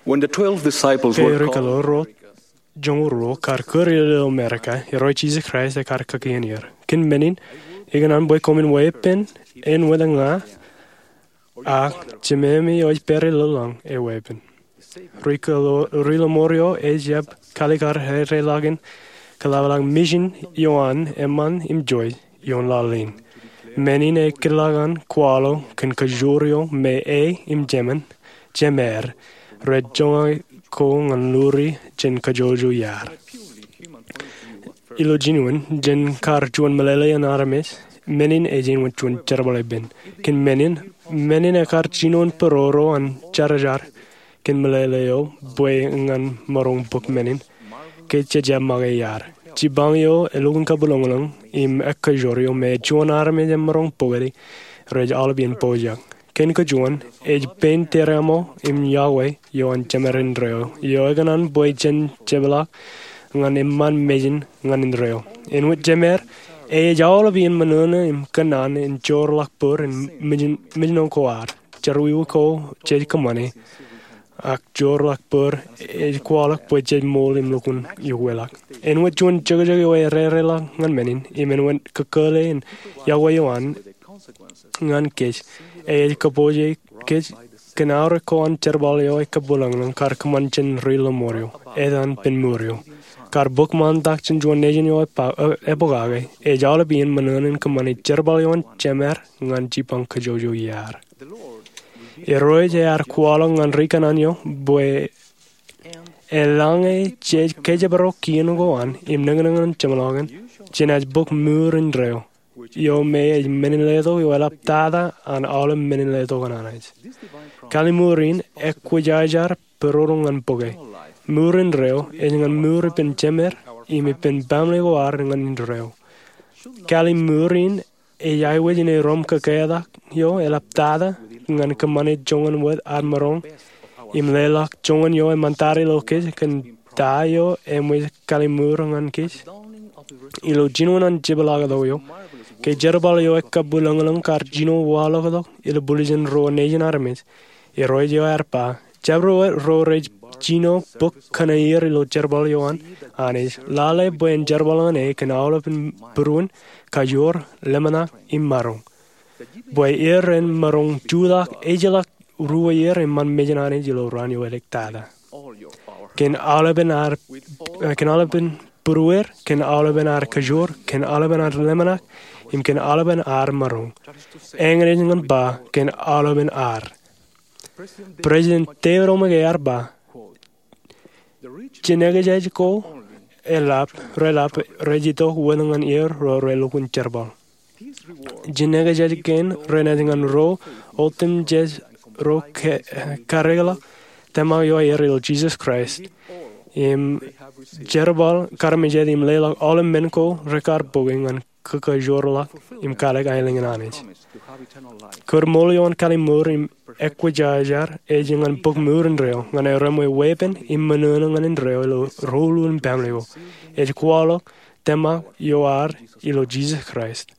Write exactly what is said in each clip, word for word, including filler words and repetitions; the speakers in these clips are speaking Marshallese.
When the twelve disciples Ke were rikilo called, ro joñoul ruo kar kūr ilo Amerika, Irooj Jisōs Kraist ekar kakien er, kōn men in, ikōṇaan bwe koṃwin weeppān āinwōt ña, ak Jememi eo ej pād ilo lañ eweeppān. Rikilo, ri-lọmọọr eo ejjab kaalikkar rereḷọk in kōḷapḷọk misin eo an eṃṃan im joij ioon laḷ in. Men in ekōḷḷọk an kwaḷọk kōn kajoor eo me e im jemān, jemed, rej joñak ko ñan luri jān kajjojo iaad. Ilo jinoin, jān kar juon meḷeḷe in armej, men in ej āinwōt juon jerbal ippān. Kōn men in, men in ekar jino in būruo an jerajar kōn meḷeḷe eo bwe ñan maroñ bōk men in ke jejjab make iaad. Jipañ eo elukkuun kabwilōñlōñ im ekkajoor eo me juon armej emaroñ bōkde rej aolep iien pojak. Kōn kajuon, ej pein tōreaṃo im yokwe eo an jemed indeeo eo ekōṇaan bwe jen jepḷaak ñan eṃṃan mejān ñan indeeo. Āinwōt jemed, e ej aolep iien ṃōṇōṇō im kōnnaan in joorḷọk bōd in mejān, mejān ko ad, jerọwiwi ko jej kōṃṃane, ak joorḷọk bōd ej kwaḷọk bwe jej ṃool im lukkuun iukwelọk. Āinwōt juon jokjok eo erereḷọk ñan men in, im āinwōt kōkōle in yokwe eo an ñan kōj, e ej kōpooje kōj kōn aorōk ko an jerbal eo ekabwilōñlōñ kar kōṃṃan jān ri-lọmọọr eo, etan pen mour eo. Kar bōk ṃaantak jān juon nejin eo epokake, ej aolep iien ṃōṇōṇō in kōṃṃane jerbal eo an jemed ñan jipañ kajjojo iaad. Irooj ear kwaḷọk ñan ri-kōnnaan eo bwe eḷaññe jej kōjparok kien ko an im nōknōk an jeṃḷọkin, jenaaj bōk mour indeeo, eo me ej men in letok eo eḷaptata an aolep men in letok an Anij. Kalliṃur in ekwōjarjar būruo ñan bōke. Mour indeeo ej ñan mour ippān jemed im ippān baaṃle ko ad ñan indeeo. Kalliṃur in ej aikuj in erom kōketak eo eḷaptata ñan kōṃṃane joñan wōt ad maroñ im leḷọk joñan eo eṃṃantata ilo kōj kōn ta eo eṃōj kalliṃur ñan kōj. Ilo jinoin an jepḷaaktok eo, ke jerbal eo ekabwilōñlōñ kar jino waḷọktok ilo buljin ruo nejin armej, Irooj eo ear ba, jabdewōt ro rej jino bōk kōneer ilo jerbal eo an Anij, lale bwe en jerbal ñan e kōn aolepān būruon, kajoor, ḷōmṇak im maroñ. Bwe er en maroñ jutak ejjeḷọk ruo ier eṃṃan mejān Anij ilo raan eo edik tata. Kōn aolepān ar, eh, kōn aolepān būruer, kōn aolepān ar kajoor, kōn aolepān ar ḷōmṇak, im kōn aolepān ar maroñ. Eñin ej ñan ba, kōn aolepān ar. President David O. McKay ear ba, jinekjej ko eḷap, reḷap, rej itok wōt ñan er ro relukkuun jerbal. Jinekjej kein renaaj ñan ro otemjej ro ke-, kareḷọk tōmak eo aer ilo Jisōs Kraist im jerbal, karmejād im leḷọk aolep men ko rekar bōke ñan kōkajoorḷọk im kalōk aelōñ in Anij. Kōdṃool eo an kalliṃur im ekwōjarjar ej ñan bōk mour indeeo ñan erom e weeppān im ṃōṇōṇō ñan indeeo ilo ruo in baaṃle ko. Ej kwaḷọk tōmak eo ad ilo Jisōs Kraist.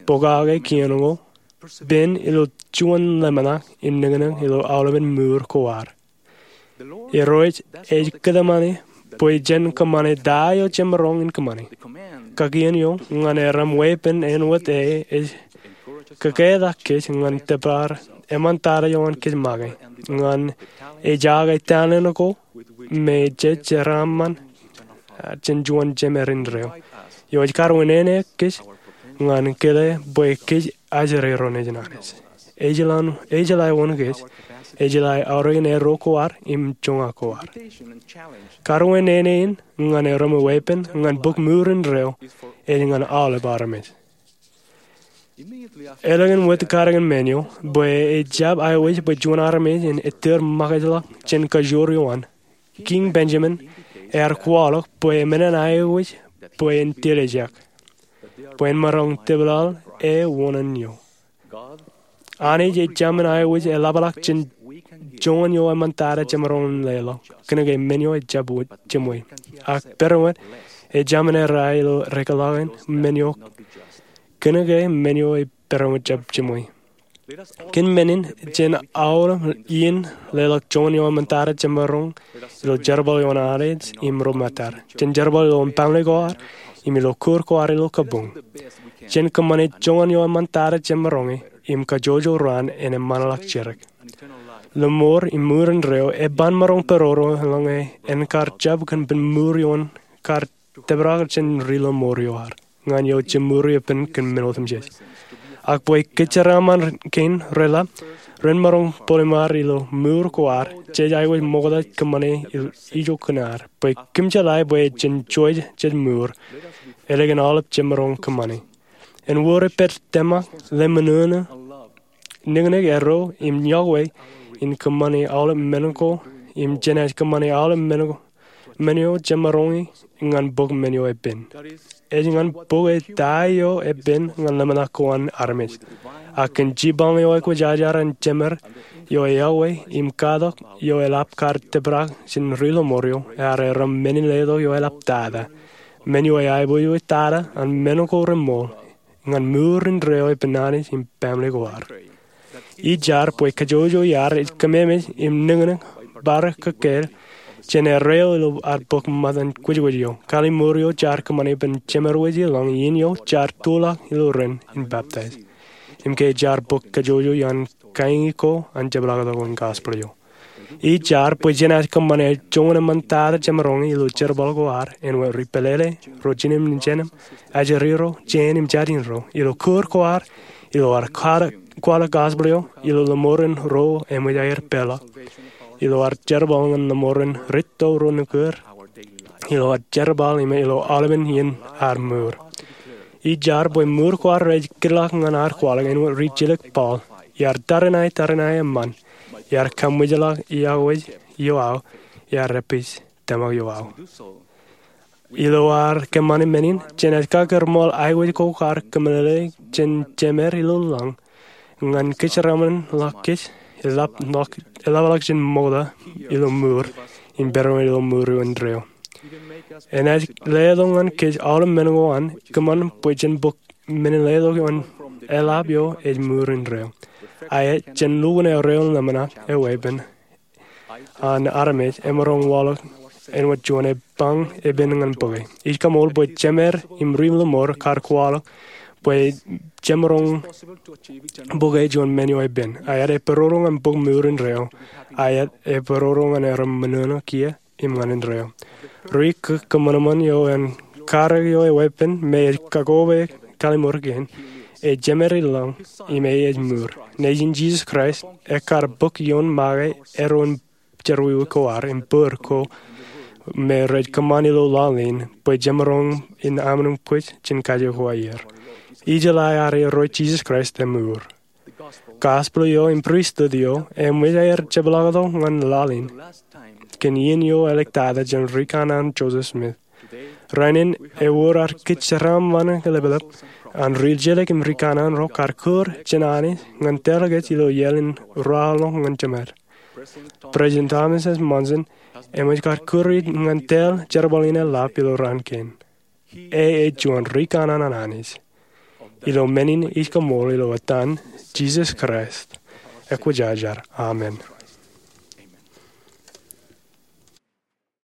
Pokake kien ko, pen ilo juon ḷōmṇak im nōknōk ilo aolepān mour ko ad. Irooj ej kōtmāne bwe jen kōṃṃane ta eo jemaroñ in kōṃṃane. Kakien eo ñan erom weeppān āinwōt e ej kōketak kōj ñan tōpar eṃṃantata eo an kōj make, ñan ejake talent ko me jej jeraaṃṃan, ah, jān juon jemed indeeo. Eo ej kar wūnin kōj ñan kile bwe kōj ajri ro nejin Anij. Ejeḷā, ejeḷā wōn kōj, ejeḷā aorōk in erro ko ad im joñak ko ad. Kar wūnin in ñan erom weeppān ñan bōk mour indeeo ej ñan aolep armej. Elōñ in wōt katakin men eo, bwe ejjab aikuj bwe juon armej en ettōr makajḷọk jān kajoor eo an, Kiiñ Benjamin ear kwaḷọk bwe men in aikuj bwe en tiljek, bwe en maroñ tōpḷaḷ e wōṇāān eo. Anij ejāmin aikuj eḷapḷọk jān joñan eo eṃṃantata jemaroñ in leḷọk, kōnke men eo ejjab wōt jiṃwe. Ak pedoñ wōt, ejāmin errā ilo rekōḷọk in men eo, kōnke men eo pedoñ wōt ejjab jiṃwe. Kōn men in, jen aolep iien leḷọk joñan eo eṃōtata jemaroñ ilo jerbal eo an Anij im ro ṃōttad, jān jerbal ilo family ko ad im ilo kūr ko ad ilo kabuñ. Jen kōṃṃane joñan eo eṃōtata jemaroñe im kajjojo raan en eṃṃanḷọk jidik. Lọmọọr im ṃuur indeeo eban maroñ pedodo eḷaññe en kar jab kōn pen ṃuur ioon kar tōprak jān ri-lọmọọr eo ad ñan eo jemūri epen kōn men otemjej. Ak bwe kōjeraaṃṃan kein reḷap, ren maroñ bōliṃaer ilo ṃuur ko ad jej aikuj ṃokta kōṃṃane ijo kōn ad bwe kōm jeḷā bwe jen juon jej ṃuur ālikin aolep jemaroñ kōṃṃane. En wōr e pād tōmak, lemṇoṇo, niknik, erro im yokwe in kōṃṃane aolep men ko, im jenaaj kōṃṃane aolep men eo jemaroñe ñan bōk men eo epen. Ej ñan bōke ta eo epen ñan ḷōmṇak ko an armej. Ak kōn jipañ eo ekwōjarjar an Jemed eo eyokwe im katak eo eḷap kar tōprak jān ri-lọmọọr eo, ear erom men in letok eo eḷaptata, men eo eaiboojoj tata an men ko reṃool ñan ṃuur indeeo epen Anij im family ko ad. Ij jar bwe kajjojo iaad ej kōmeemej im niknik bar kōkāāl jān erreo ilo ad bōk ṃōttan kwōjkwōj eo, kallim̧ur eo jaar kōṃṃane bwe jemed wōj ilañ iien eo jaar tuḷọk ilo ren in baptize, im ke jaar bōk kajjojo iaan kaiñi ko an jepḷaaktok in gospel eo. Ij jar bwe jenaaj kōṃṃane joñan eṃṃantata jemaroñe ilo jerbal ko ad āinwōt ri-pālele, ro jinōm im jeinōm, ajri ro, jān im jatin ro, ilo kūr ko ad, ilo ad kwaḷọk gospel eo, ilo lọmọọren ro eṃōj aer peḷḷọk, ilo ad jerbal ñan lọmọọren rūtto ro nukūr, ilo ad jerbal im ilo aolepen iien ad ṃuur. Ij jar bwe ṃuur ko ad rej kidḷọk ñan ad kwaḷọk āinwōt ri-jilōk Paul, iar tariṇae tariṇae eṃṃan, iar kaṃwijḷọk iọkwe eo aō, iar epij tōmak eo aō. Ilo ad kōṃṃane men in, jenaaj kakōrṃool aikuj ko kar kōmeḷeḷe jān Jemed ilo lañ ñan kōjeraaṃṃan ḷọk kōj, eḷapḷọk jān ṃokta ilo ṃuur im pedoṃōj ilo ṃuur eo indeeo. Enaaj letok ñan kōj aolep men ko an kōṃṃan bwe jen bōk men in letok ioon eḷap eo ej ṃuur indeeo. Aet, jān lukkuun erreo in ḷōmṇak eweeppān an armej emaroñ waḷọk āinwōt juon epañ epen ñan bōke. Ij kaṃool bwe jemed im ri-lọmọọr kar kwaḷọk bwe jemaroñ bōke juon men eo epen. Aet, epedodo ñan bōk ṃuur indeeo. Aet, epedodo ñan erom ṃōṇōṇō kiiō im ñan indeeo. Ri-kōṃanṃan eo an karōk eo eweeppān me ej kakoba kallim̧ur kein, ej Jemed ilañ im e ej ṃuur. Nejin Jisōs Kraist, ekkar bōk ioon make eddo in jerọwiwi ko ad im bōd ko me rej kōṃṃan ilo laḷ in bwe jemaroñ in aṃ naaj kōj jān kaje ko aer. Ijeḷā ad erro Jisōs Kraist eṃṃour. Gospel eo im pristut eo eṃōj aer jepḷaaktok ñan laḷ in kōn iien eo āliktata jān ri-kanaan Joseph Smith. Rainin ewōr ad kōjeraaṃṃan leplep an ri-jilōk im ri-kanaan ro kar kūr jān Anij ñan tōl kōj ilo iaḷ in ruwaḷọk ñan Jemed. President Thomas S. Monson eṃōj kar kūr ñan tōl jerbal in eḷap ilo raan kein. E ej juon ri-kanaan an Anij. Ilo men in ij kaṃool ilo etan Jisōs Kraist, ekwōjarjar, amen.